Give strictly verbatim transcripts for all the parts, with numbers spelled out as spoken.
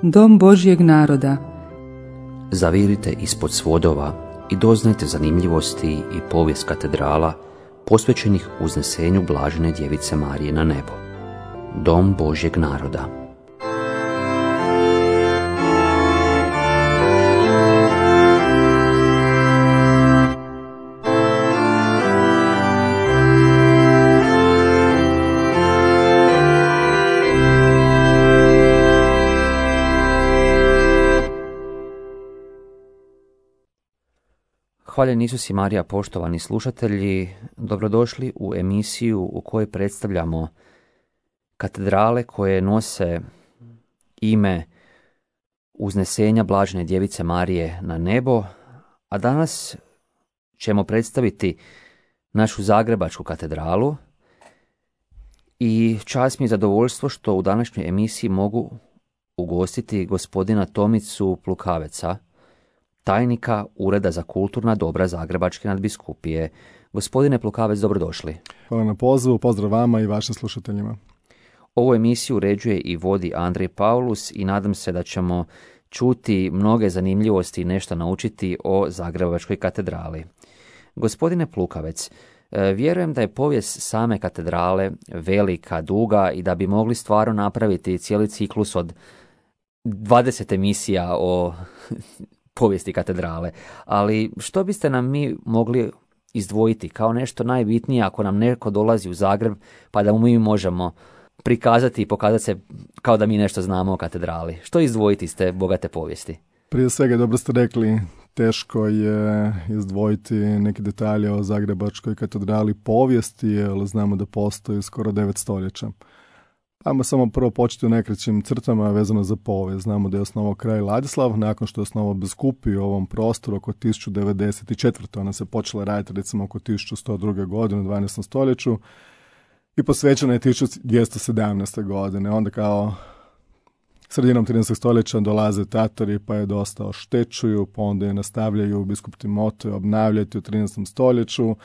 dom Božjeg naroda. Zavirite ispod svodova i doznajte zanimljivosti i povijest katedrala posvećenih uznesenju Blažene Djevice Marije na nebo. Dom Božjeg naroda. Hvaljen Isus i Marija, poštovani slušatelji, dobrodošli u emisiju u kojoj predstavljamo katedrale koje nose ime uznesenja Blažene Djevice Marije na nebo, a danas ćemo predstaviti našu Zagrebačku katedralu i čast mi je zadovoljstvo što u današnjoj emisiji mogu ugostiti gospodina Tomicu Plukaveca, tajnika Ureda za kulturna dobra Zagrebačke nadbiskupije. Gospodine Plukavec, dobrodošli. Hvala na pozivu, pozdrav vama i vašim slušateljima. Ovu emisiju uređuje i vodi Andrej Paulus i nadam se da ćemo čuti mnoge zanimljivosti i nešto naučiti o Zagrebačkoj katedrali. Gospodine Plukavec, vjerujem da je povijest same katedrale velika, duga i da bi mogli stvarno napraviti cijeli ciklus od dvadeset emisija o povijesti katedrale, ali što biste nam mi mogli izdvojiti kao nešto najbitnije ako nam neko dolazi u Zagreb pa da mu mi možemo prikazati i pokazati se kao da mi nešto znamo o katedrali? Što izdvojiti iz te bogate povijesti? Prije svega, dobro ste rekli, teško je izdvojiti neke detalje o Zagrebačkoj katedrali povijesti, jer znamo da postoji skoro devet stoljeća. Ajmo samo prvo početi u najkraćim crtama vezano za povijest. Znamo da je osnovao kralj Ladislav, nakon što je osnovao biskupiju u ovom prostoru oko tisuću devedeset četvrte. Ona se počela raditi recimo oko tisuću sto druge. godine u dvanaestom stoljeću i posvećena je tisuću dvjesto sedamnaeste. godine. Onda kao sredinom trinaestog stoljeća dolaze Tatori pa je dosta oštećuju, pa onda je nastavljaju biskup Timotej obnavljati u trinaestom stoljeću.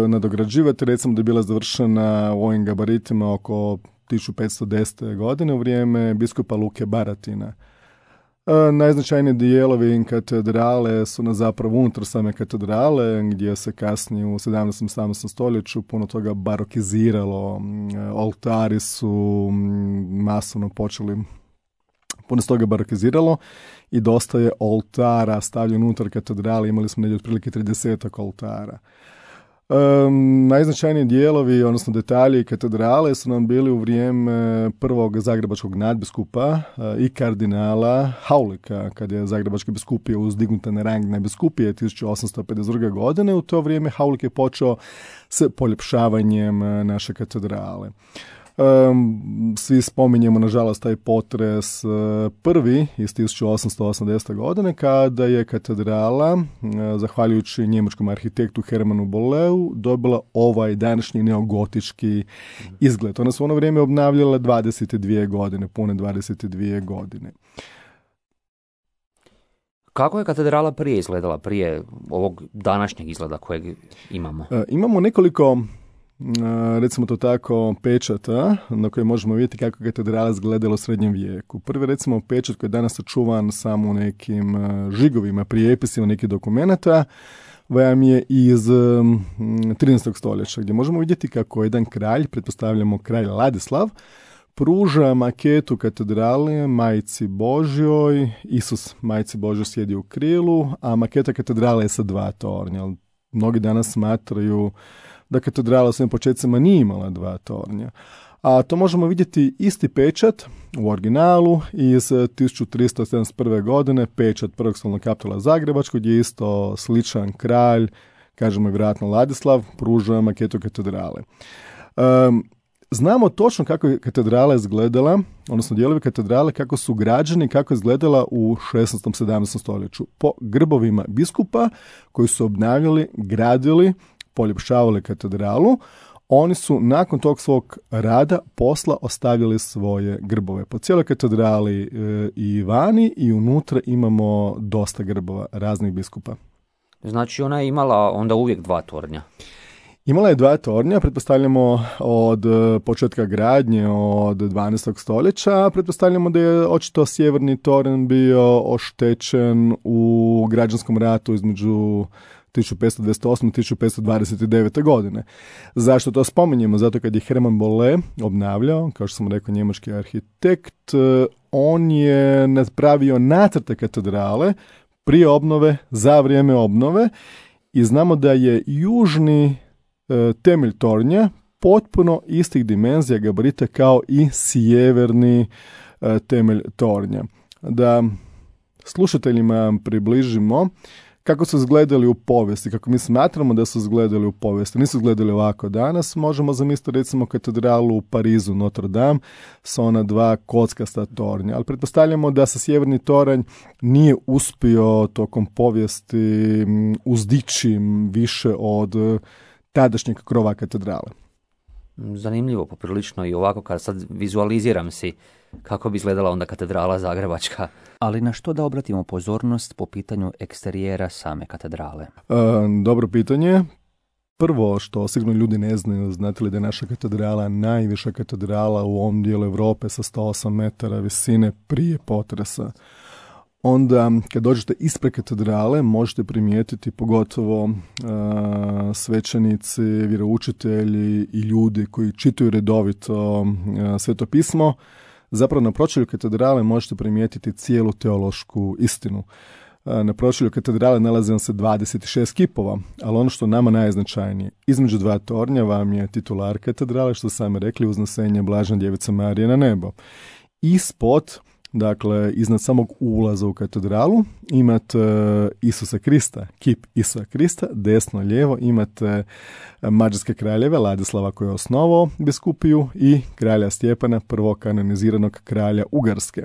Nadograđivati, recimo da je bila završena u ovim gabaritima oko tisuću petsto desete. godine u vrijeme biskupa Luke Baratina. Najznačajniji dijelovi katedrale su na zapravo unutar same katedrale, gdje se kasnije u sedamnaestom. sedamnaestom stoljeću puno toga barokiziralo. Oltari su masovno počeli, puno se toga barokiziralo i dosta je oltara stavljeno unutar katedrale. Imali smo negdje otprilike tridesetak oltara. Um, najznačajniji dijelovi, odnosno detalji katedrale su nam bili u vrijeme prvog zagrebačkog nadbiskupa uh, i kardinala Haulika, kad je zagrebačka biskupija uzdignuta na rang nadbiskupije tisuću osamsto pedeset druge. godine. U to vrijeme Haulik je počeo s poljepšavanjem uh, naše katedrale. Um, svi spominjemo nažalost taj potres uh, prvi iz tisuću osamsto osamdesete. godine kada je katedrala, uh, zahvaljujući njemačkom arhitektu Hermanu Bolleu, dobila ovaj današnji neogotički izgled. Ona su u ono vrijeme obnavljala dvadeset dvije godine, pune dvadeset dvije godine. Kako je katedrala prije izgledala, prije ovog današnjeg izgleda kojeg imamo? Uh, imamo nekoliko, recimo to tako, pečata na koje možemo vidjeti kako je katedrala izgledala u srednjem vijeku. Prvi, recimo, pečat koji je danas sačuvan samo u nekim žigovima, prijepisima nekih dokumenata, vam je iz trinaestog. stoljeća, gdje možemo vidjeti kako jedan kralj, pretpostavljamo kralj Ladislav, pruža maketu katedrale Majci Božjoj. Isus Majci Božjoj sjedi u krilu, a maketa katedrale je sa dva tornja. Mnogi danas smatraju da katedrala u svojim početcima nije imala dva tornja. A to možemo vidjeti isti pečat u originalu iz tisuću tristo sedamdeset prve. godine, pečat prvog stolnog kapitula Zagrebačkog, gdje je isto sličan kralj, kažemo vjerojatno Ladislav, pruža maketu katedrale. Um, znamo točno kako je katedrala izgledala, odnosno dijelovi katedrale kako su građeni, kako je izgledala u šesnaestom. sedamnaestom. stoljeću. Po grbovima biskupa koji su obnavljali, gradili, poljepšavali katedralu, oni su nakon tog svog rada, posla, ostavili svoje grbove. Po cijeloj katedrali e, i vani i unutra imamo dosta grbova raznih biskupa. Znači ona je imala onda uvijek dva tornja? Imala je dva tornja, pretpostavljamo od početka gradnje od dvanaestog stoljeća, pretpostavljamo da je očito sjeverni tornj bio oštećen u građanskom ratu između tisuću petsto dvadeset osme i tisuću petsto dvadeset devete. godine. Zašto to spominjemo? Zato kad je Hermann Bolle obnavljao, kao što sam rekao, njemački arhitekt, on je napravio nacrte katedrale prije obnove, za vrijeme obnove, i znamo da je južni e, temelj tornja potpuno istih dimenzija gabarita kao i sjeverni e, temelj tornja. Da slušateljima približimo kako su izgledali u povijesti, kako mi smatramo da su izgledali u povijesti. Nisu izgledali ovako danas. Možemo zamisliti recimo katedralu u Parizu, Notre Dame, sa ona dva kockasta tornja. Ali pretpostavljamo da se sjeverni toranj nije uspio tokom povijesti uzdići više od tadašnjeg krova katedrale. Zanimljivo, poprilično, i ovako kad sad vizualiziram si kako bi izgledala onda katedrala zagrebačka. Ali na što da obratimo pozornost po pitanju eksterijera same katedrale? E, dobro pitanje. Prvo što sigurno ljudi ne znaju, znate li da je naša katedrala najviša katedrala u ovom dijelu Europe sa sto osam metara visine prije potresa. Onda kad dođete ispred katedrale možete primijetiti pogotovo uh, svećenici, vjeroučitelji i ljudi koji čitaju redovito uh, Sveto pismo. Zapravo na pročelju katedrale možete primijetiti cijelu teološku istinu. Uh, na pročelju katedrale nalazi vam se dvadeset šest kipova, ali ono što nama najznačajnije, između dva tornja vam je titular katedrale, što sami rekli, uznosenje Blažene Djevice Marije na nebo. Ispod, dakle, iznad samog ulaza u katedralu imate Isusa Krista, kip Isusa Krista, desno lijevo imate mađarske kraljeve, Ladislava koji je osnovao biskupiju i kralja Stjepana, prvog kanoniziranog kralja Ugarske.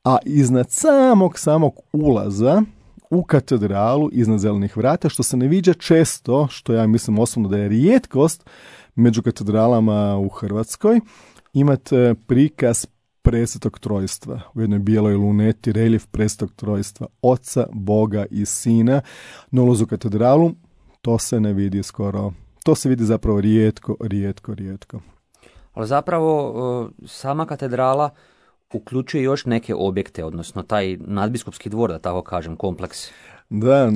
A iznad samog samog ulaza u katedralu, iznad zelenih vrata, što se ne viđa često, što ja mislim osobno da je rijetkost među katedralama u Hrvatskoj, imate prikaz presvetog trojstva. U jednoj bijeloj luneti reljef presvetog trojstva, Oca, Boga i Sina. Na ulazu u katedralu to se ne vidi skoro. To se vidi zapravo rijetko, rijetko, rijetko. Ali zapravo sama katedrala uključuje još neke objekte, odnosno taj nadbiskupski dvor, da tako kažem, kompleks. Da,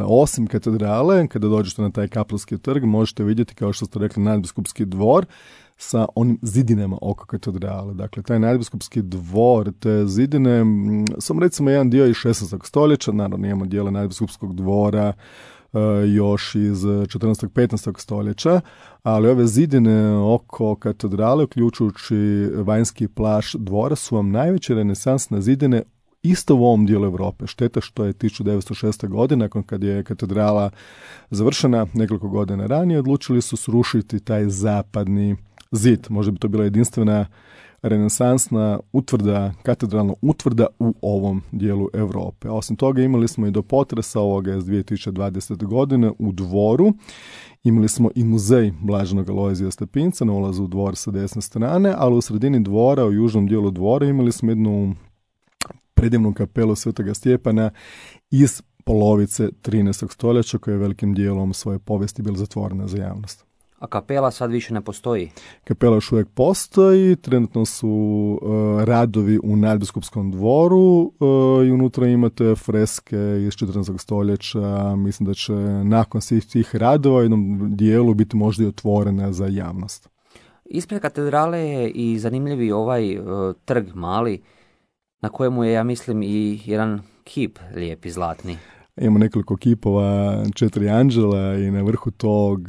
osim katedrale, kada dođete na taj Kapelski trg, možete vidjeti, kao što ste rekli, nadbiskupski dvor sa onim zidinama oko katedrale. Dakle, taj nadbiskupski dvor, te zidine, sam recimo jedan dio iz šesnaestog stoljeća, naravno imamo dijela nadbiskupskog dvora još iz četrnaestog petnaestog stoljeća, ali ove zidine oko katedrale, uključujući vanjski plaž dvora, su vam najveće renesansne zidine isto u ovom dijelu Europe. Šteta što je tisuću devetsto šeste. godine, nakon kad je katedrala završena nekoliko godina ranije, odlučili su srušiti taj zapadni zid. Možda bi to bila jedinstvena renesansna utvrda, katedralna utvrda u ovom dijelu Europe. A osim toga imali smo i do potresa ovoga iz dvije tisuće dvadesete. godine u dvoru. Imali smo i muzej Blaženog Alojzija Stepinca na ulazu u dvor sa desne strane, ali u sredini dvora, u južnom dijelu dvora, imali smo jednu predivnu kapelu Svetoga Stjepana iz polovice trinaestog stoljeća, koja je velikim dijelom svoje povijesti bila zatvorena za javnost. A kapela sad više ne postoji? Kapela još uvijek postoji, trenutno su uh, radovi u nadbiskupskom dvoru uh, i unutra imate freske iz četrnaestog stoljeća. Mislim da će nakon svih tih radova u jednom dijelu biti možda i otvorena za javnost. Ispred katedrale je i zanimljivi ovaj uh, trg mali, na kojemu je, ja mislim, i jedan kip lijepi, zlatni. Imamo nekoliko kipova, četiri anđela i na vrhu tog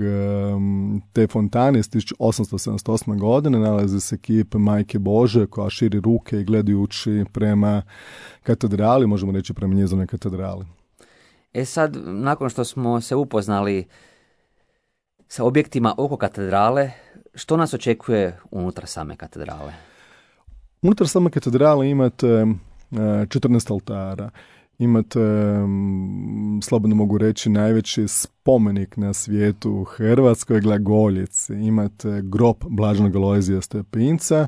te fontane iz tisuću osamsto sedamdeset osme. godine nalazi se kip Majke Bože koja širi ruke i gledajući prema katedrali, možemo reći prema njezinoj katedrali. E sad, nakon što smo se upoznali sa objektima oko katedrale, što nas očekuje unutar same katedrale? Unutar same katedrale imate četrnaest oltara. Imate, slobodno mogu reći, najveći spomenik na svijetu u Hrvatskoj, glagoljici. Imate grob Blaženog Alojzija Stepinca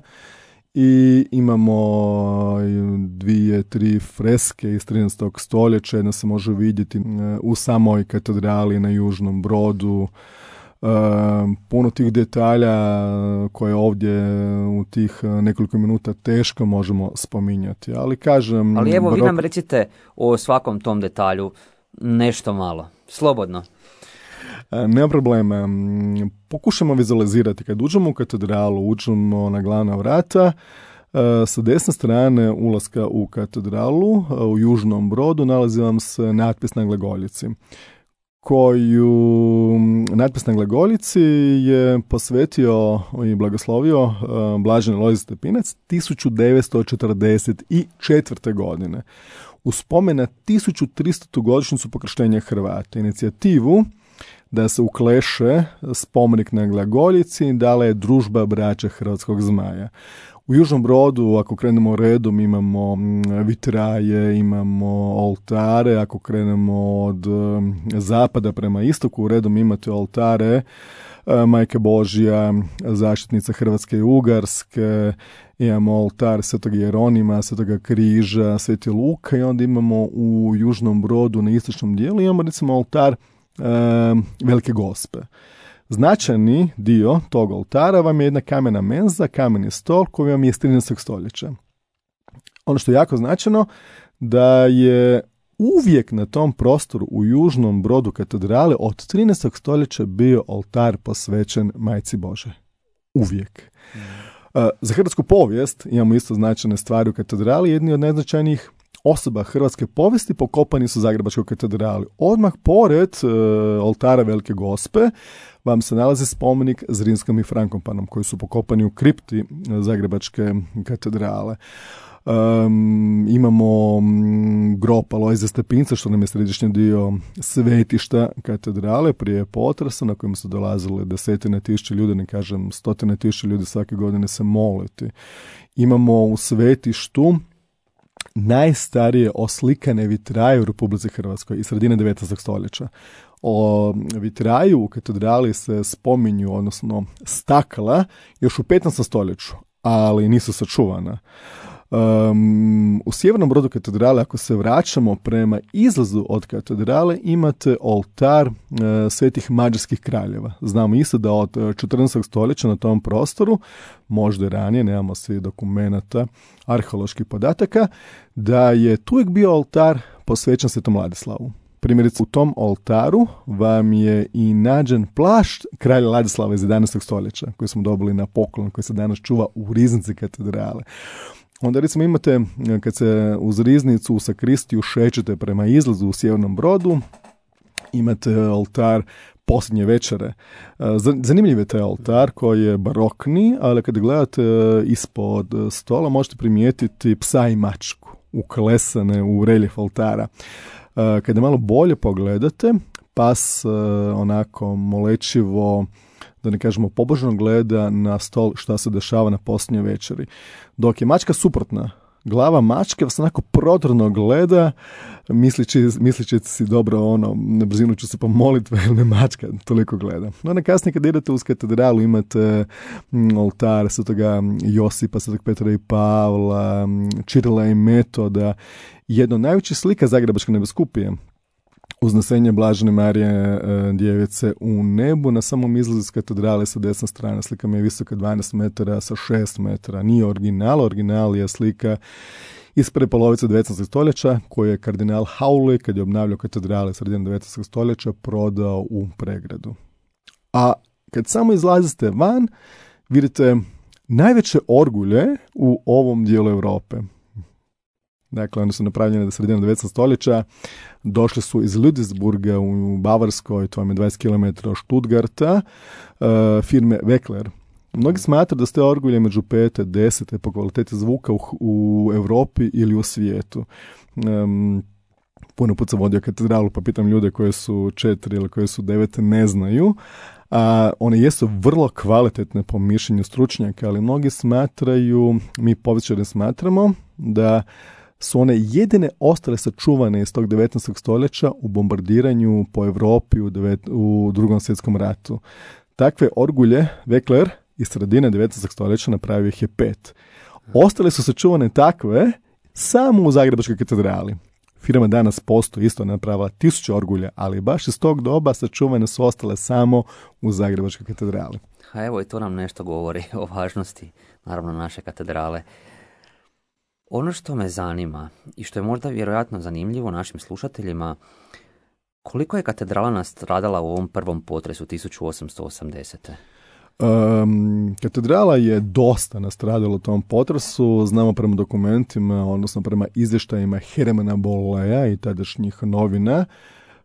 i imamo dvije, tri freske iz trinaestog stoljeća. Jedna se može vidjeti u samoj katedrali na Južnom Brodu, puno tih detalja koje ovdje u tih nekoliko minuta teško možemo spominjati. Ali kažem... Ali evo, barok... vi nam recite o svakom tom detalju nešto malo. Slobodno. Nema problema. Pokušamo vizualizirati. Kad uđemo u katedralu, uđemo na glavna vrata, sa desne strane ulaska u katedralu, u Južnom Brodu, nalazi vam se natpis na glagoljici, koju natpis na glagoljici je posvetio i blagoslovio blaženi Lojzije Stepinac tisuću devetsto četrdeset četvrte. godine. U spomen na tisuću tristotu godišnjicu pokrštenja Hrvata. Inicijativu da se ukleše spomenik na glagoljici dala je Družba braće Hrvatskog zmaja. U Južnom Brodu, ako krenemo redom, imamo vitraje, imamo oltare. Ako krenemo od zapada prema istoku, redom imate oltare Majke Božja, zaštitnica Hrvatske i Ugarske, imamo oltar Svetog Jeronima, Svetoga Križa, Sveti Luka, i onda imamo u Južnom Brodu na istočnom dijelu imamo recimo oltar e, Velike Gospe. Značajni dio tog oltara vam je jedna kamena menza, kameni stol koji vam je iz trinaestog stoljeća. Ono što je jako značajno, da je uvijek na tom prostoru u Južnom Brodu katedrale od trinaestog stoljeća bio oltar posvećen Majci Božoj. Uvijek. Mm. Uh, za hrvatsku povijest imamo isto značajne stvari u katedrali. Jedni od najznačajnijih osoba hrvatske povijesti pokopani su u Zagrebačkoj katedrali. Odmah pored uh, oltara Velike Gospe vam se nalazi spomenik Zrinskom i Frankopanom koji su pokopani u kripti Zagrebačke katedrale. Um, imamo um, grob Alojzija Stepinca, što nam je središnji dio svetišta katedrale prije potresa, na kojem su dolazile desetine tisuća ljudi, ne kažem stotine tisuća ljudi svake godine se moliti. Imamo u svetištu najstarije oslikane vitraje u Republici Hrvatskoj iz sredine devetnaestog stoljeća. O vitraju u katedrali se spominju, odnosno stakla, još u petnaestom stoljeću, ali nisu sačuvana. Um, u Sjevernom Brodu katedrale, ako se vraćamo prema izlazu od katedrale, imate oltar uh, svetih mađarskih kraljeva. Znamo isto da od četrnaestog stoljeća na tom prostoru, možda i ranije, nemamo svi dokumenata, arheoloških podataka, da je tu uvijek bio oltar posvećen Svetom Ladislavu. Primjerice, u tom oltaru vam je i nađen plašt kralja Ladislava iz jedanaestog stoljeća, koji smo dobili na poklon, koji se danas čuva u riznici katedrale. Onda recimo imate, kad se uz riznicu u sakristiju šećete prema izlazu u Sjevernom Brodu, imate oltar Posljednje večere. Zanimljiv je taj oltar koji je barokni, ali kad gledate ispod stola možete primijetiti psa i mačku uklesane u reljef oltara. Kada malo bolje pogledate, pas onako molečivo, da ne kažemo pobožno, gleda na stol šta se dešava na posljednjoj večeri. Dok je mačka suprotna. Glava mačke vas onako prodorno gleda, mislići, mislići si dobro, ono, na brzinu ću se pomoliti, jer me mačka toliko gleda. No, na kasnije kad idete uz katedralu imate m, oltar Svetoga Josipa, Svetog Petra i Pavla, Čirila i Metoda, jedno od najvećih slika Zagrebačke nebiskupije, Uznesenje Blažene Marije e, djevice u nebu. Na samom izlazu iz katedrale sa desne strane slika mi je visoka dvanaest metara sa šest metara. Nije original, original je slika iz prve polovice devetnaestog stoljeća koju je kardinal Hauli, kad je obnavljao katedrale sredinom devetnaestog stoljeća, prodao u Pregradu. A kad samo izlazite van, vidite najveće orgulje u ovom dijelu Europe. Dakle, one su napravljene do sredine devetnaestog stoljeća, došle su iz Ludwigsburga u Bavarskoj, to vam je dvadeset kilometara od Stuttgarta, uh, firme Weckler. Mnogi smatraju da ste orgulje među pete, desete po kvaliteti zvuka u, u Europi ili u svijetu. Um, puno put sam vodio katedralu, pa pitam ljude koje su četiri ili koje su devete, ne znaju. A one jesu vrlo kvalitetne po mišljenju stručnjaka, ali mnogi smatraju, mi povjesničari smatramo, da su one jedine ostale sačuvane iz tog devetnaestog stoljeća u bombardiranju po Europi u, devet, u drugom svjetskom ratu. Takve orgulje Weckler iz sredine devetnaestog stoljeća napravio ih je pet. Ostale su sačuvane takve samo u Zagrebačkoj katedrali. Firma danas postoji, isto napravila tisuće orgulja, ali baš iz tog doba sačuvane su ostale samo u Zagrebačkoj katedrali. A evo i to nam nešto govori o važnosti, naravno, naše katedrale. Ono što me zanima i što je možda vjerojatno zanimljivo našim slušateljima, koliko je katedrala nastradala u ovom prvom potresu tisuću osamsto osamdesete. Um, katedrala je dosta nastradala u tom potresu, znamo prema dokumentima, odnosno prema izvještajima Hermana Bolleja i tadašnjih novina.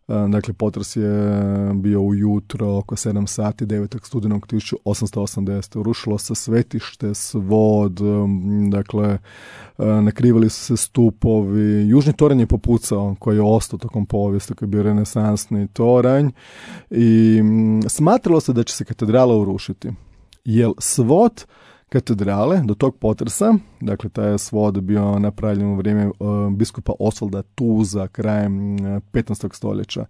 Dakle, potres je bio ujutro oko sedam sati devetog studenog tisuću osamsto osamdesete. Urušilo se svetište, svod, dakle, nakrivali su se stupovi. Južni toranj je popucao, koji je ostao tokom povijesti, koji je bio renesansni toranj. I smatralo se da će se katedrala urušiti. Jer svod katedrale do tog potresa, dakle taj je svod bio napravljen u vrijeme uh, biskupa Osvalda Tuza krajem uh, petnaestog stoljeća,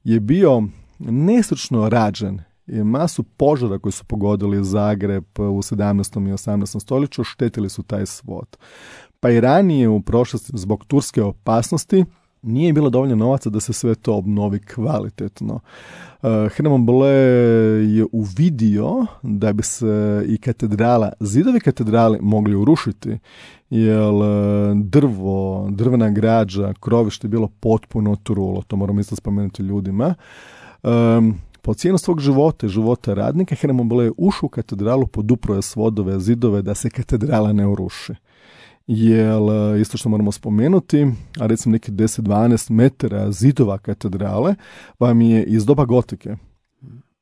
je bio nestručno rađen i masu požara koji su pogodili Zagreb u sedamnaestom i osamnaestom stoljeću štetili su taj svod. Pa i ranije u prošlosti zbog turske opasnosti nije bilo dovoljno novaca da se sve to obnovi kvalitetno. Uh, Herman Bolle je uvidio da bi se i katedrala, zidovi katedrale mogli urušiti, jer drvo, drvena građa, krovište je bilo potpuno trulo, to moramo isto spomenuti ljudima. Um, po cijenu svog života, života radnika, Herman Bolle je ušao u katedralu, podupro je svodove, zidove da se katedrala ne uruši. Jer isto što moramo spomenuti, a recimo neki deset do dvanaest metara zidova katedrale vam je iz doba gotike.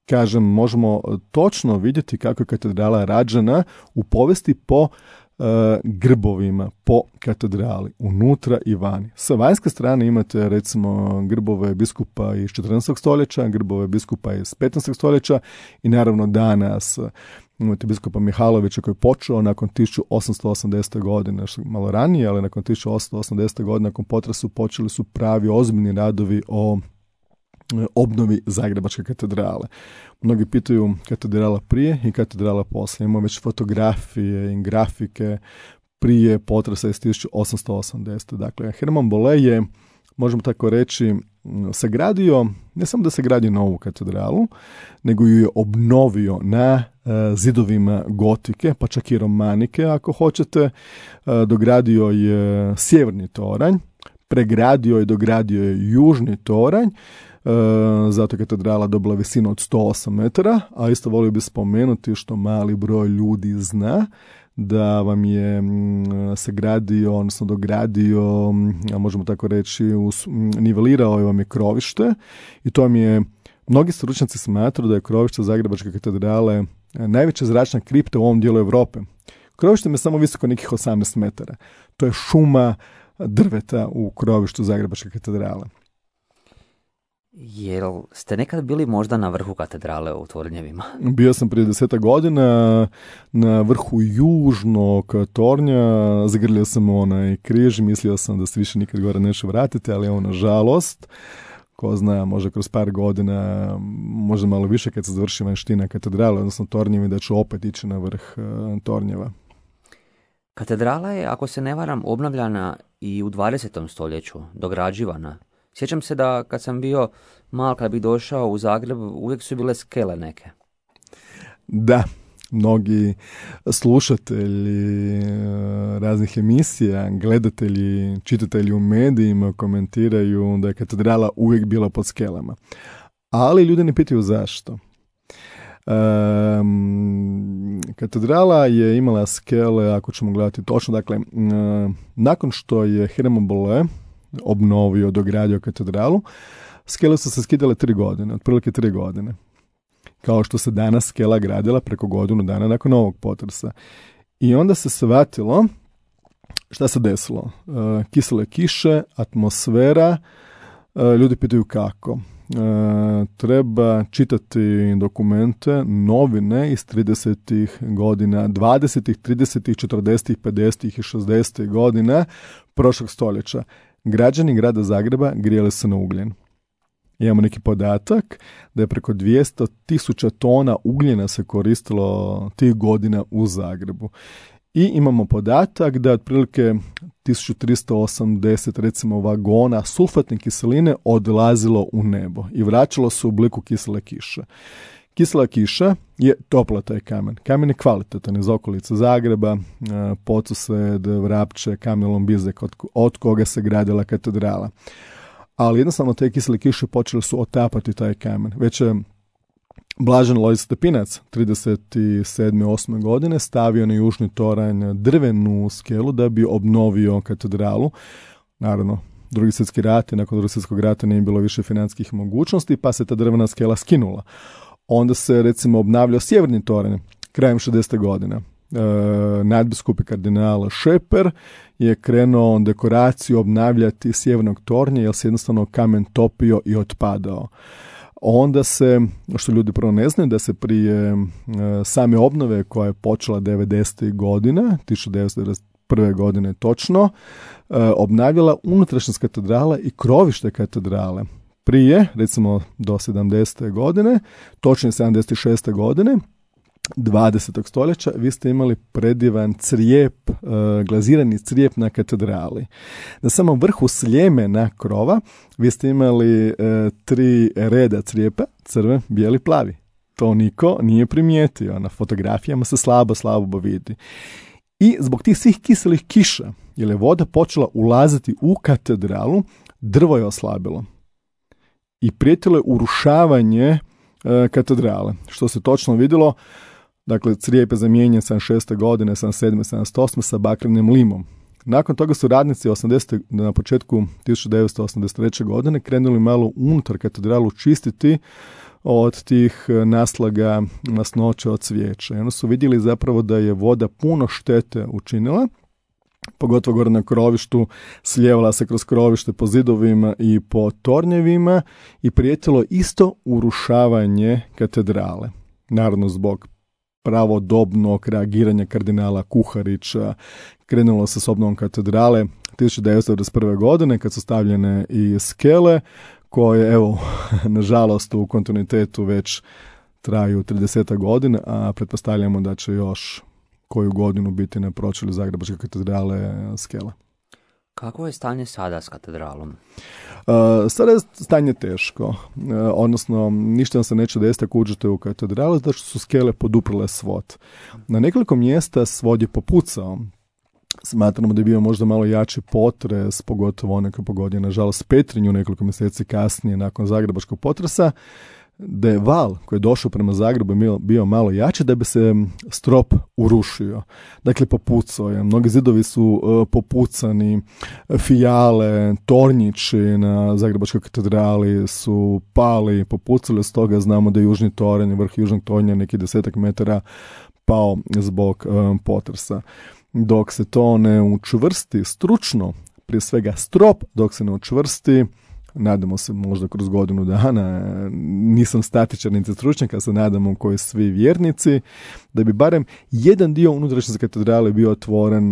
Kažem, možemo točno vidjeti kako je katedrala rađena u povijesti po uh, grbovima, po katedrali, unutra i vani. Sa vanjske strane imate recimo grbove biskupa iz četrnaestog stoljeća, grbove biskupa iz petnaestog stoljeća i naravno danas imate biskupa Mihalovića koji je počeo nakon tisuću osamsto osamdesete godine, što malo ranije, ali nakon tisuću osamsto osamdesete godine, nakon potresu počeli su pravi ozbiljni radovi o obnovi Zagrebačke katedrale. Mnogi pitaju katedrala prije i katedrala poslije. Imamo već fotografije i grafike prije potresa iz tisuću osamsto osamdesete. Dakle, Herman Bolle je, možemo tako reći, sagradio, ne samo da se gradi novu katedralu, nego ju je obnovio na uh, zidovima gotike, pa čak i romanike, ako hoćete. Uh, dogradio je sjeverni toranj, pregradio i dogradio je južni toranj, uh, zato je katedrala dobila visinu od sto osam metara, a isto volio bi spomenuti što mali broj ljudi zna, da vam je sagradio, odnosno dogradio, a možemo tako reći, us, nivelirao je vam je krovište i to vam je, mnogi stručnjaci smatraju da je krovište Zagrebačke katedrale najveća zračna kripta u ovom dijelu Europe. Krovište je samo visoko nekih osamnaest metara. To je šuma drveta u krovištu Zagrebačke katedrale. Jel ste nekad bili možda na vrhu katedrale u Tornjevima? Bio sam prije deseta godina na vrhu južnog tornja, zagrlio sam onaj križ, mislio sam da se više nikad gore neće vratiti, ali evo, nažalost, ko zna, možda kroz par godina, možda malo više kad se završi vanština katedrale, odnosno Tornjevi, da ću opet ići na vrh uh, Tornjeva. Katedrala je, ako se ne varam, obnavljana i u dvadesetom stoljeću, dograđivana. Sjećam se da kad sam bio mal, kad bih došao u Zagreb, uvijek su bile skele neke. Da, mnogi slušatelji raznih emisija, gledatelji, čitatelji u medijima komentiraju da je katedrala uvijek bila pod skelama. Ali ljudi ne pitaju zašto. Um, katedrala je imala skele, ako ćemo gledati točno, dakle, um, nakon što je Herman Bolle obnovio, dogradio katedralu, skele su se skidale tri godine, otprilike tri godine. Kao što se danas skela gradila preko godinu dana nakon ovog potresa. I onda se shvatilo šta se desilo. Uh, kisele kiše, atmosfera, uh, ljudi pitaju kako. Uh, treba čitati dokumente, novine iz tridesetih godina, dvadesetih, tridesetih, četrdesetih, pedesetih i šezdesetih godina prošlog stoljeća. Građani grada Zagreba grijali se na ugljen. Imamo neki podatak da je preko dvjesto tisuća tona ugljena se koristilo tih godina u Zagrebu. I imamo podatak da otprilike tisuću tristo osamdeset recimo vagona sulfatne kiseline odlazilo u nebo i vraćalo se u obliku kisele kiše. Kisela kiša je topla taj kamen. Kamen je kvalitetan iz okolice Zagreba, Podsused, Vrapče, kamen Lombizek, od, od koga se gradila katedrala. Ali jednostavno te kisele kiše počele su otapati taj kamen. Već je Blažen Lojzije Stepinac trideset sedme osme godine stavio na južni toranj drvenu skelu da bi obnovio katedralu. Naravno, Drugi svjetski rat i nakon Drugog svjetskog rata nije bilo više financijskih mogućnosti, pa se ta drvena skela skinula. Onda se recimo obnavljao sjeverni toranj krajem šezdesete godine. E, nadbiskup i kardinal Šeper je krenuo dekoraciju obnavljati sjevernog tornja jer se jednostavno kamen topio i otpadao. Onda se, što ljudi prvo ne znaju, da se prije e, same obnove koja je počela devedesetih godina, tisuću devetsto devedeset prve godine točno, e, obnavljala unutrašnjost katedrale i krovište katedrale. Prije, recimo do sedamdesete godine, točnije sedamdeset šeste godine, dvadesetog stoljeća, vi ste imali predivan crijep, e, glazirani crijep na katedrali. Na samom vrhu sljemena krova vi ste imali e, tri reda crijepa, crven, bijeli, plavi. To niko nije primijetio. Na fotografijama se slabo, slabo vidi. I zbog tih svih kiselih kiša, jer je voda počela ulaziti u katedralu, drvo je oslabilo. I prijetilo je urušavanje e, katedrale. Što se točno vidjelo, dakle, crijep je zamijenjen sedamdeset šeste godine, sedamdeset sedme sedamdeset osme sa bakrenim limom. Nakon toga su radnici osamdesete na početku tisuću devetsto osamdeset treće godine krenuli malo unutar katedralu čistiti od tih naslaga masnoća od cvijeća. I onda su vidjeli zapravo da je voda puno štete učinila, pogotovo gore na krovištu, slijevala se kroz krovište po zidovima i po tornjevima i prijetilo isto urušavanje katedrale. Naravno, zbog pravodobnog reagiranja kardinala Kuharića krenulo se s obnovom katedrale tisuću devetsto devedeset prve godine kad su stavljene i skele koje, evo, nažalost u kontinuitetu već traju trideset godina, a pretpostavljamo da će još koju godinu biti na pročelju Zagrebačke katedrale skela. Kako je stanje sada s katedralom? Uh, sada je stanje teško, uh, odnosno ništa nam se neće desiti ako uđete u katedralu, zato što su skele poduprle svod. Na nekoliko mjesta svod je popucao. Smatramo da je bio možda malo jači potres, pogotovo onaj koji pogodio, nažalost, Petrinju nekoliko mjeseci kasnije nakon zagrebačkog potresa, da je val koji je došao prema Zagrebu bio, bio malo jači da bi se strop urušio. Dakle, popucao je. Mnogi zidovi su uh, popucani, fijale, tornjići na Zagrebačkoj katedrali su pali, popucali, stoga znamo da je južni toranj, vrh južnog tornja neki desetak metara pao zbog um, potresa. Dok se to ne učvrsti stručno, prije svega strop, dok se ne učvrsti, nadamo se možda kroz godinu dana, nisam statičan niti stručnjak, a se nadamo koji svi vjernici, da bi barem jedan dio unutrašnje katedrale bio otvoren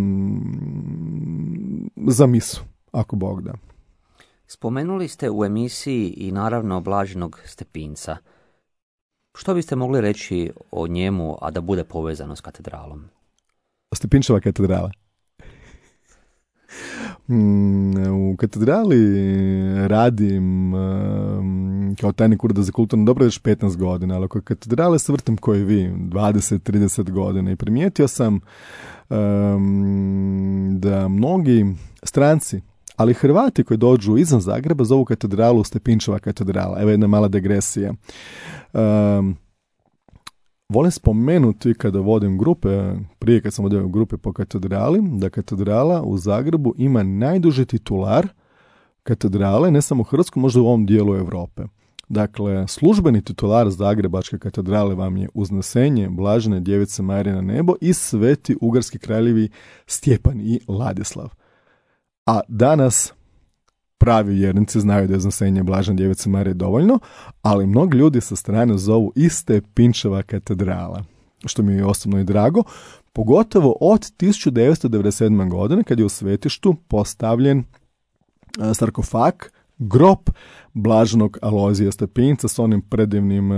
za misu, ako Bog da. Spomenuli ste u emisiji i naravno Blaženog Stepinca. Što biste mogli reći o njemu, a da bude povezano s katedralom? Stepinčeva katedrala. U katedrali radim kao tajnik ureda za kulturno dobro već petnaest godina, ali oko katedrale se vrtim koji vi, dvadeset trideset godina, i primijetio sam um, da mnogi stranci, ali Hrvati koji dođu izvan Zagreba zovu katedralu Stepinčeva katedrala. Evo jedna mala degresija. Um, Volim spomenuti kada vodim grupe, prije kad sam vodio grupe po katedrali, da katedrala u Zagrebu ima najduži titular katedrale, ne samo u Hrvatskoj, možda u ovom dijelu Europe. Dakle, službeni titular Zagrebačke katedrale vam je Uznesenje Blažene Djevice Marije na nebo i Sveti ugarski kraljevi Stjepan i Ladislav. A danas pravi vjernici znaju da je Uznesenje Blažene Djevice Marije dovoljno, ali mnogi ljudi sa strane zovu i Stepinčeva katedrala, što mi je osobno i drago, pogotovo od tisuću devetsto devedeset sedme. godine kad je u svetištu postavljen sarkofag, grob Blaženog Alojzija Stepinca s onim predivnim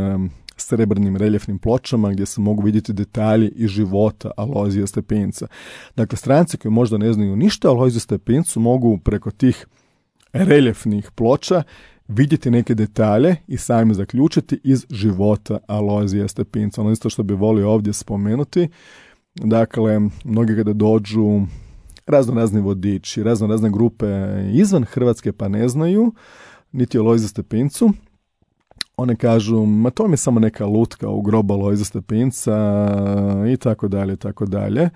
srebrnim reljefnim pločama gdje se mogu vidjeti detalji iz života Alojzija Stepinca. Dakle, stranci koji možda ne znaju ništa o Alojziju Stepincu mogu preko tih reljefnih ploča vidjeti neke detalje i sami zaključiti iz života Alojzija Stepinca. Ono isto što bi volio ovdje spomenuti, dakle, mnogi kada dođu razno razni vodiči, razno razne grupe izvan Hrvatske pa ne znaju niti o Alojziju Stepincu, one kažu, ma to mi je samo neka lutka u grobu Alojzija Stepinca i tako dalje, tako dalje.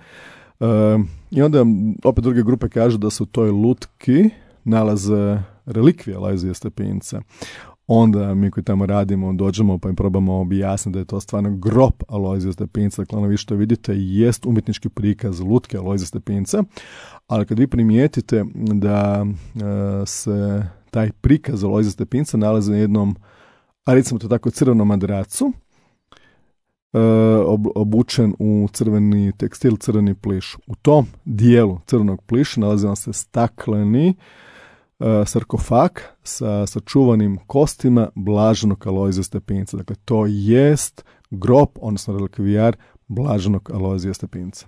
I onda opet druge grupe kažu da su u toj lutki nalaze relikvije Alojzija Stepinca. Onda mi koji tamo radimo, dođemo pa im probamo objasniti da je to stvarno grob Alojzija Stepinca. Dakle, ono vi što vidite jest umjetnički prikaz lutke Alojzija Stepinca, ali kad vi primijetite da e, se taj prikaz Alojzija Stepinca nalazi na jednom, a recimo to tako, crvenom madracu, e, ob, obučen u crveni tekstil, crveni pliš. U tom dijelu crvenog pliša nalazi vam se stakleni sarkofag sa sačuvanim kostima blaženog Alojzija Stepinca. Dakle, to jest grob, odnosno relikvijar blaženog Alojzija Stepinca.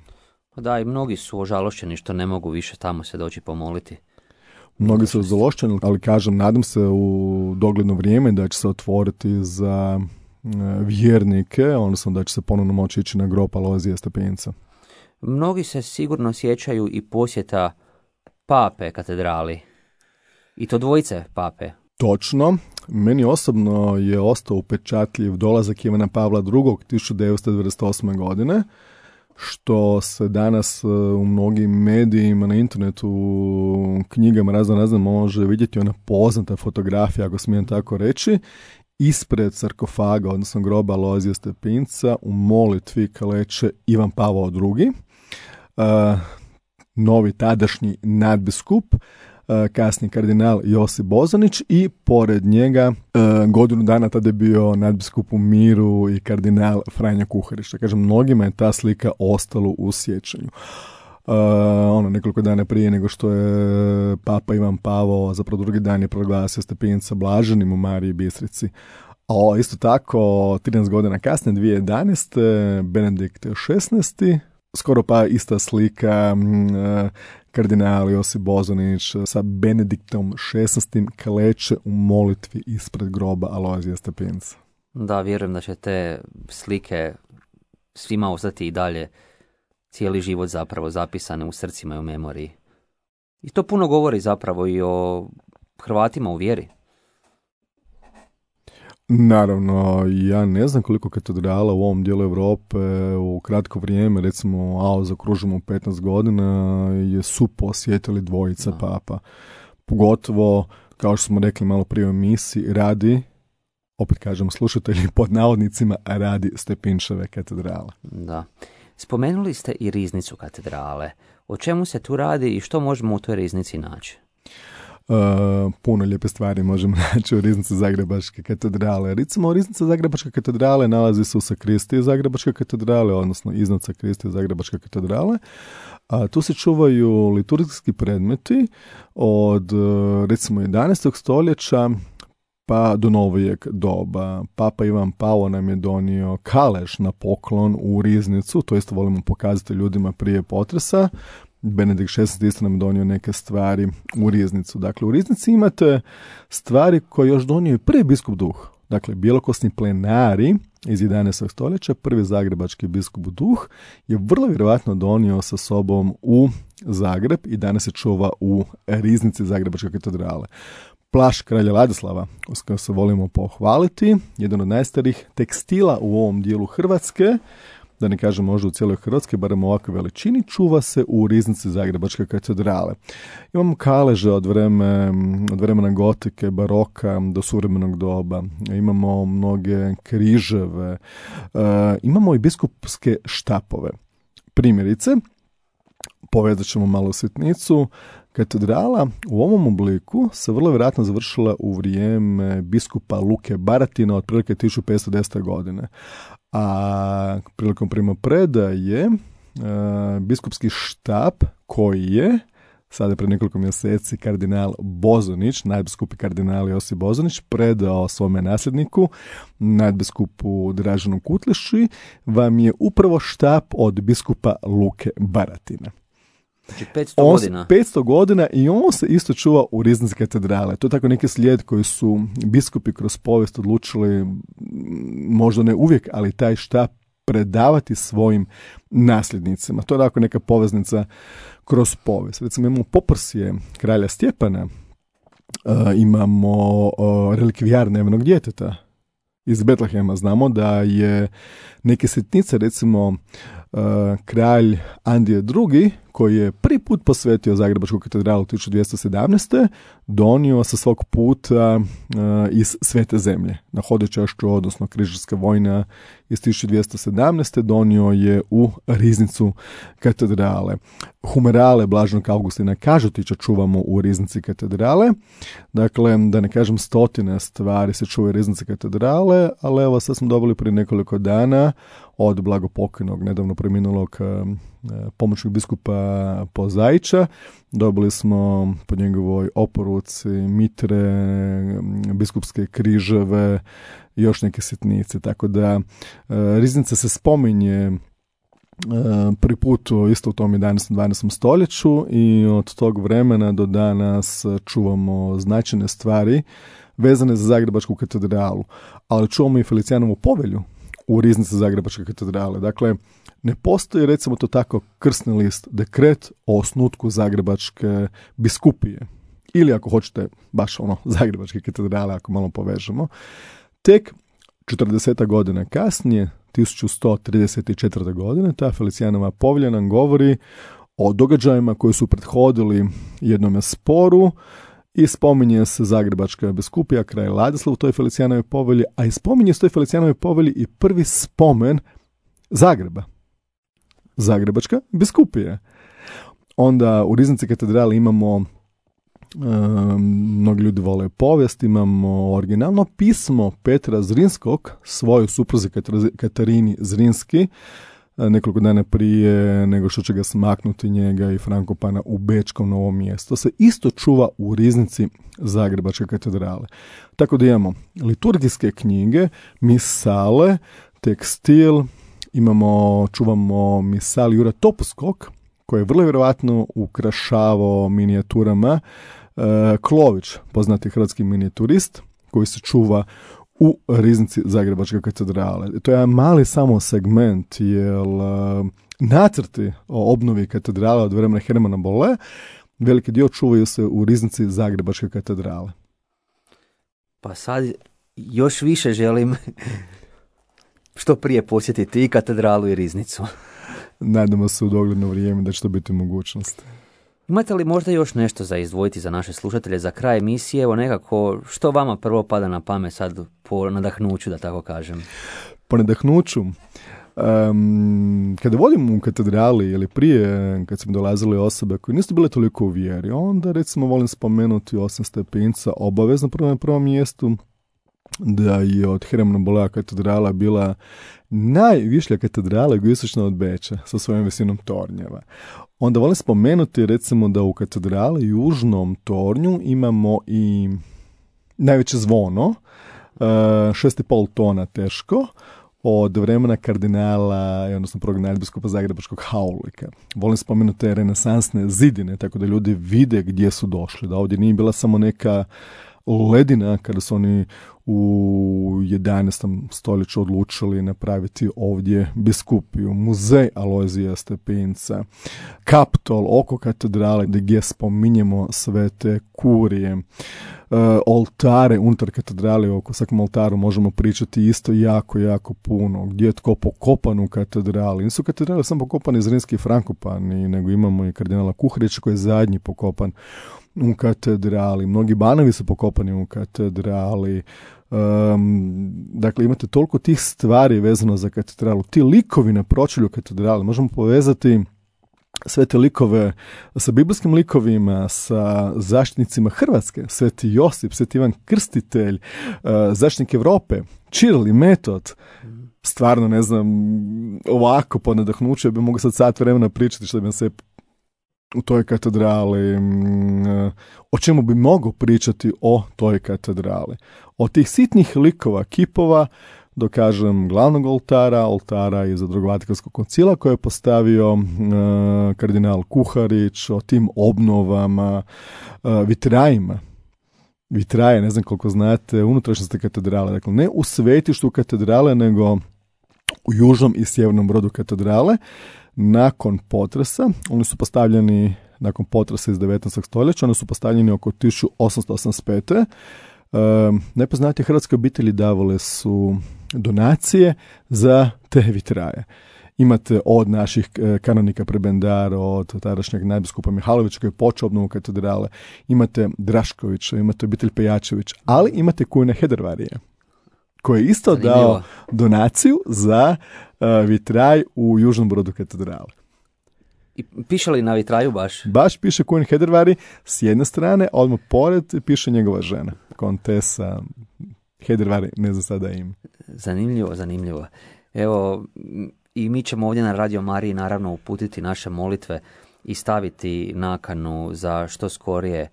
Da, i mnogi su ožalošćeni što ne mogu više tamo se doći pomoliti. Mnogi su ožalošćeni, ali kažem, nadam se u dogledno vrijeme da će se otvoriti za vjernike, odnosno da će se ponovno moći ići na grob Alojzija Stepinca. Mnogi se sigurno sjećaju i posjeta pape katedrali. I to dvojice pape. Točno. Meni osobno je ostao upečatljiv dolazak Ivana Pavla drugog tisuću devetsto devedeset osme. godine, što se danas u mnogim medijima, na internetu, knjigama razno razno može vidjeti ona poznata fotografija, ako smijem tako reći, ispred sarkofaga, odnosno groba Alojzija Stepinca, u molitvi kaleče Ivan Pavao drugi, uh, novi tadašnji nadbiskup, kasni kardinal Josip Bozanić i pored njega godinu dana tada je bio nadbiskup u miru i kardinal Franjo Kuharić. Kažem, mnogima je ta slika ostalo u sjećanju. Uh, ono, nekoliko dana prije nego što je papa Ivan Pavao, zapravo drugi dan je proglasio Stepinca blaženim u Mariji Bistrici. A isto tako, trinaest godina kasnije, dvije tisuće jedanaeste. Benedikt šesnaesti. Skoro pa ista slika, uh, kardinal Josip Bozanić sa Benediktom šesnaestim kleče u molitvi ispred groba Alojzija Stepinca. Da, vjerujem da će te slike svima ostati i dalje cijeli život zapravo zapisane u srcima i u memoriji. I to puno govori zapravo i o Hrvatima u vjeri. Naravno, ja ne znam koliko katedrala u ovom dijelu Europe u kratko vrijeme, recimo, a zaokružimo petnaest godina, je su posjetili dvojica da. papa. Pogotovo, kao što smo rekli malo prije u emisiji, radi, opet kažem slušatelji, pod navodnicima, radi Stepinčeve katedrale. Da. Spomenuli ste i riznicu katedrale. O čemu se tu radi i što možemo u toj riznici naći? Uh, puno lijepe stvari možemo naći u riznici Zagrebačke katedrale. Recimo, riznica Zagrebačke katedrale nalazi se u sakristiji Zagrebačke katedrale, odnosno iznad sakristije Zagrebačke katedrale. A tu se čuvaju liturgijski predmeti od, recimo, jedanaestog stoljeća pa do novijeg doba. Papa Ivan Pavao nam je donio kalež na poklon u riznicu, to isto volimo pokazati ljudima prije potresa. Benedikt šesnaesti isto nam donio neke stvari u riznicu. Dakle, u riznici imate stvari koje još donio i prvi biskup Duh. Dakle, bjelokosni plenari iz jedanaestog stoljeća, prvi zagrebački biskup Duh, je vrlo vjerojatno donio sa sobom u Zagreb i danas se čuva u riznici Zagrebačke katedrale. Plašt kralja Ladislava, s kojom se volimo pohvaliti, jedan od najstarijih tekstila u ovom dijelu Hrvatske, da ne kažem možda u cijeloj Hrvatskoj, barem u ovakvoj veličini, čuva se u riznici Zagrebačke katedrale. Imamo kaleže od, vreme, od vremena gotike, baroka do suvremenog doba. Imamo mnoge križeve. E, imamo i biskupske štapove. Primjerice, povezat ćemo malo sitnicu, katedrala u ovom obliku se vrlo vjerojatno završila u vrijeme biskupa Luke Baratina otprilike tisuću petsto desete. godine. A prilikom primopredaje e, biskupski štap koji je sada pre nekoliko mjeseci kardinal Bozanić, nadbiskup i kardinal Josip Bozanić, predao svome nasljedniku, nadbiskupu Draženu Kutleši, vam je upravo štap od biskupa Luke Baratina. Znači petsto on, godina. petsto godina i on se isto čuva u riznici katedrale. To je tako neki slijed koji su biskupi kroz povijest odlučili, možda ne uvijek, ali taj štap predavati svojim nasljednicima. To je tako neka poveznica kroz povijest. Recimo imamo poprsje kralja Stjepana, uh, imamo uh, relikvijar nevinog djeteta iz Betlehema. Znamo da je neke sitnice, recimo uh, kralj Andrije drugi, koji je prvi put posvetio Zagrebačku katedralu tisuću dvjesto sedamnaeste. donio sa svog puta uh, iz Svete zemlje. Na hodočašću, odnosno križarska vojna iz tisuću dvjesto sedamnaeste. donio je u riznicu katedrale. Humerale Blaženog Augustina Kažutića čuvamo u riznici katedrale. Dakle, da ne kažem stotine stvari se čuvaju u riznici katedrale, ali evo sad smo dobili prije nekoliko dana od blagopokojnog, nedavno preminulog pomoćnog biskupa Pozaića. Dobili smo po njegovoj oporuci mitre, biskupske križeve i još neke sitnice. Tako da riznica se spominje prvi put isto u tom jedanaestom dvanaestom stoljeću i od tog vremena do danas čuvamo značajne stvari vezane za Zagrebačku katedralu. Ali čuvamo i Felicijanovu povelju u riznici Zagrebačke katedrale. Dakle, ne postoji, recimo to tako, krsni list, dekret o osnutku Zagrebačke biskupije. Ili ako hoćete, baš ono, Zagrebačke katedrale, ako malo povežemo. Tek četrdeset godina kasnije, tisuću sto trideset četvrte. godine, ta Felicijanova povelja nam govori o događajima koji su prethodili jednome sporu i spominje se Zagrebačka biskupija, kraj Ladislav u toj Felicijanovoj povelji, a i spominje se u toj Felicijanovoj povelji i prvi spomen Zagreba. Zagrebačka biskupija. Onda u riznici katedrale imamo, um, mnogi ljudi vole povijest, imamo originalno pismo Petra Zrinskog, svojoj supruzi Katarini Zrinski, nekoliko dana prije nego što će ga smaknuti njega i Frankopana u Bečkom Novom Mjestu. Se isto čuva u riznici Zagrebačke katedrale. Tako da imamo liturgijske knjige, misale, tekstil, imamo, čuvamo misal Jura Topuskog, koji je vrlo vjerojatno ukrašavao minijaturama, e, Klović, poznati hrvatski minijaturist, koji se čuva u riznici Zagrebačke katedrale. To je jedan mali samo segment, jer uh, nacrti o obnovi katedrale od vremena Hermana Bolle, veliki dio čuvaju se u riznici Zagrebačke katedrale. Pa sad još više želim što prije posjetiti i katedralu i riznicu. Nadamo se u dogledno vrijeme da će to biti mogućnost. Imate li možda još nešto za izdvojiti za naše slušatelje za kraj emisije? Evo nekako, što vama prvo pada na pamet sad po nadahnuću, da tako kažem? Po nadahnuću? Um, kada vodim u katedrali ili prije, kad su mi dolazile osobe koje nisu bile toliko u vjeri, onda recimo volim spomenuti osam stepinca obavezno prvo na prvom mjestu, da je od Hermana Bollea katedrala bila najvišlja katedrala jugoistočno od Beča sa svojom visinom tornjeva. Onda volim spomenuti recimo da u katedrali južnom tornju imamo i najveće zvono, šest i pol tona teško, od vremena kardinala, odnosno prvog nadbiskupa Zagrebačkog Haulika. Volim spomenuti te renesansne zidine, tako da ljudi vide gdje su došli, da ovdje nije bila samo neka ledina kada su oni u jedanaestom stoljeću odlučili napraviti ovdje biskupiju, muzej Alojzija Stepinca, Kaptol oko katedrale gdje spominjemo sve te kurije, e, oltare unutar katedrale, oko svakom oltaru možemo pričati isto jako, jako puno, gdje je tko pokopan u katedrali. Nisu katedrale samo pokopani Zrinski i Frankopani, nego imamo i kardinala Kuharića koji je zadnji pokopan u katedrali. Mnogi banovi su pokopani u katedrali. Um, dakle, imate toliko tih stvari vezano za katedralu. Ti likovi na pročelju katedrale. Možemo povezati sve te likove sa biblijskim likovima, sa zaštitnicima Hrvatske, Sveti Josip, Sveti Ivan Krstitelj, uh, zaštitnik Europe, Čiril i Metod. Stvarno, ne znam, ovako po nadahnuću bi mogu sad sat vremena pričati što bi vam se u toj katedrali, o čemu bi mogao pričati o toj katedrali. Od tih sitnih likova, kipova, do kažem glavnog oltara, oltara iza Drugog Vatikanskog koncila koje je postavio uh, kardinal Kuharić, o tim obnovama, uh, vitrajima. Vitraje, ne znam koliko znate, unutrašnjosti katedrale. Dakle, ne u svetištu katedrale, nego u južnom i sjevernom brodu katedrale. Nakon potresa, oni su postavljeni, nakon potresa iz devetnaestog stoljeća, oni su postavljeni oko tisuću osamsto osamdeset pete. Uh, nepoznate hrvatske obitelji davale su donacije za te vitraje. Imate od naših kanonika prebendara, od tadašnjeg nadbiskupa Mihalovića koji je počeo obnovu katedrale, imate Draškovića, imate obitelj Pejačević, ali imate Kujna Hedervarije, koji je isto Zanimljivo. dao donaciju za uh, vitraj u južnom brodu katedrale. I piše li na vitraju baš? Baš piše Kujn Hedervari s jedne strane, a odmah pored piše njegova žena, kontesa Hedervari, ne znam sada im. Zanimljivo, zanimljivo. Evo, i mi ćemo ovdje na Radio Mariji naravno uputiti naše molitve i staviti nakanu za što skorije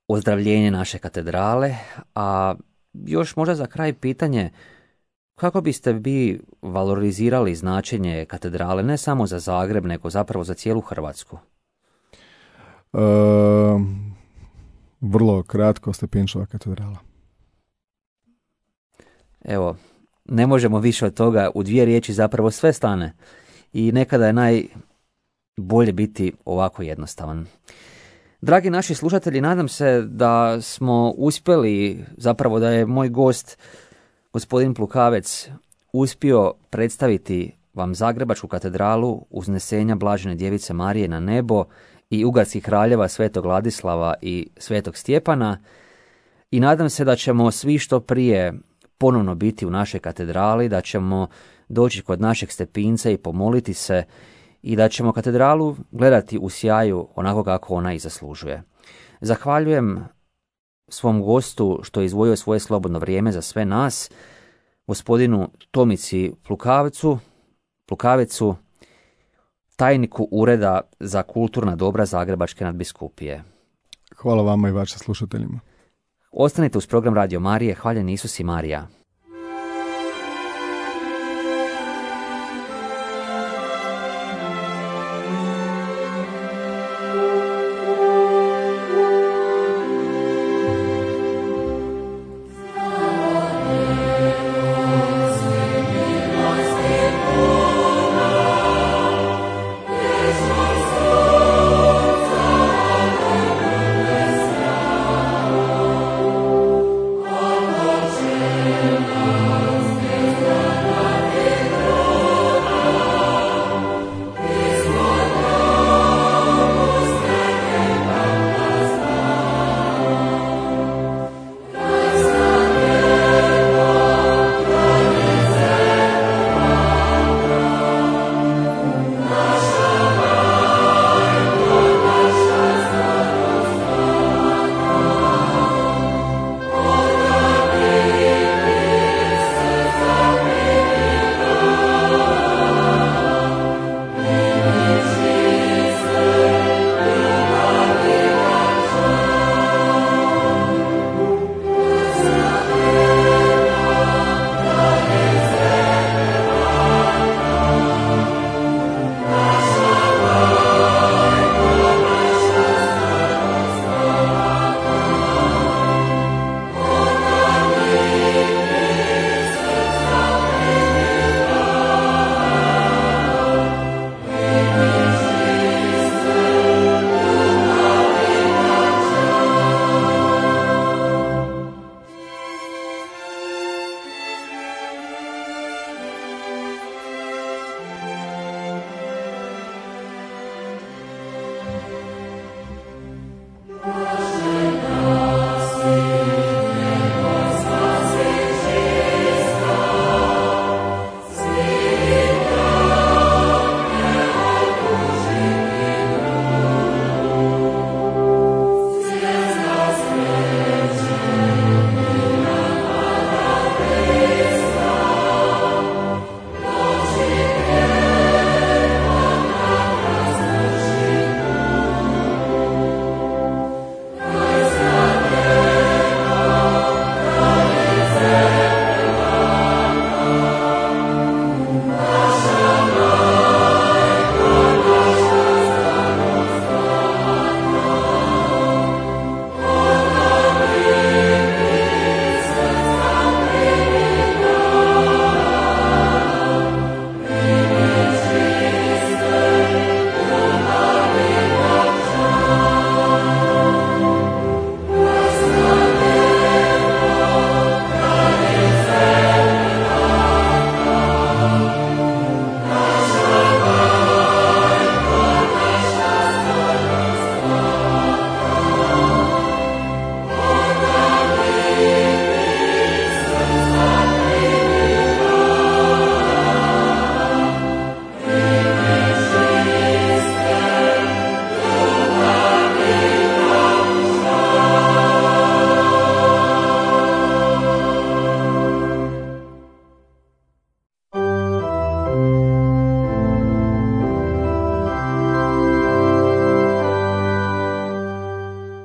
ozdravljenje naše katedrale, a još možda za kraj pitanje, kako biste vi valorizirali značenje katedrale ne samo za Zagreb, nego zapravo za cijelu Hrvatsku? E, vrlo kratko, Stepinčeva katedrala. Evo, ne možemo više od toga, u dvije riječi zapravo sve stane i nekada je najbolje biti ovako jednostavan. Dragi naši slušatelji, nadam se da smo uspjeli, zapravo da je moj gost, gospodin Plukavec, uspio predstaviti vam Zagrebačku katedralu Uznesenja Blažene Djevice Marije na nebo i ugarskih kraljeva Svetog Ladislava i Svetog Stjepana i nadam se da ćemo svi što prije ponovno biti u našoj katedrali, da ćemo doći kod našeg Stepinca i pomoliti se i da ćemo katedralu gledati u sjaju onako kako ona i zaslužuje. Zahvaljujem svom gostu što je izdvojio svoje slobodno vrijeme za sve nas, gospodinu Tomici Plukavcu, Plukavecu, tajniku Ureda za kulturna dobra Zagrebačke nadbiskupije. Hvala vama i vašim slušateljima. Ostanite uz program Radio Marije. Hvaljen Isus i Marija. Amen.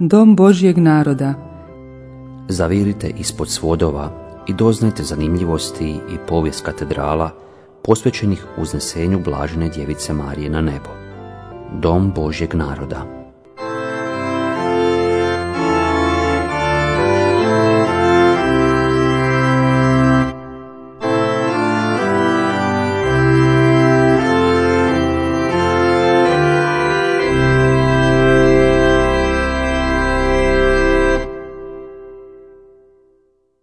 Dom Božjeg naroda. Zavirite ispod svodova i doznajte zanimljivosti i povijest katedrala posvećenih uznesenju Blažene Djevice Marije na nebo. Dom Božjeg naroda.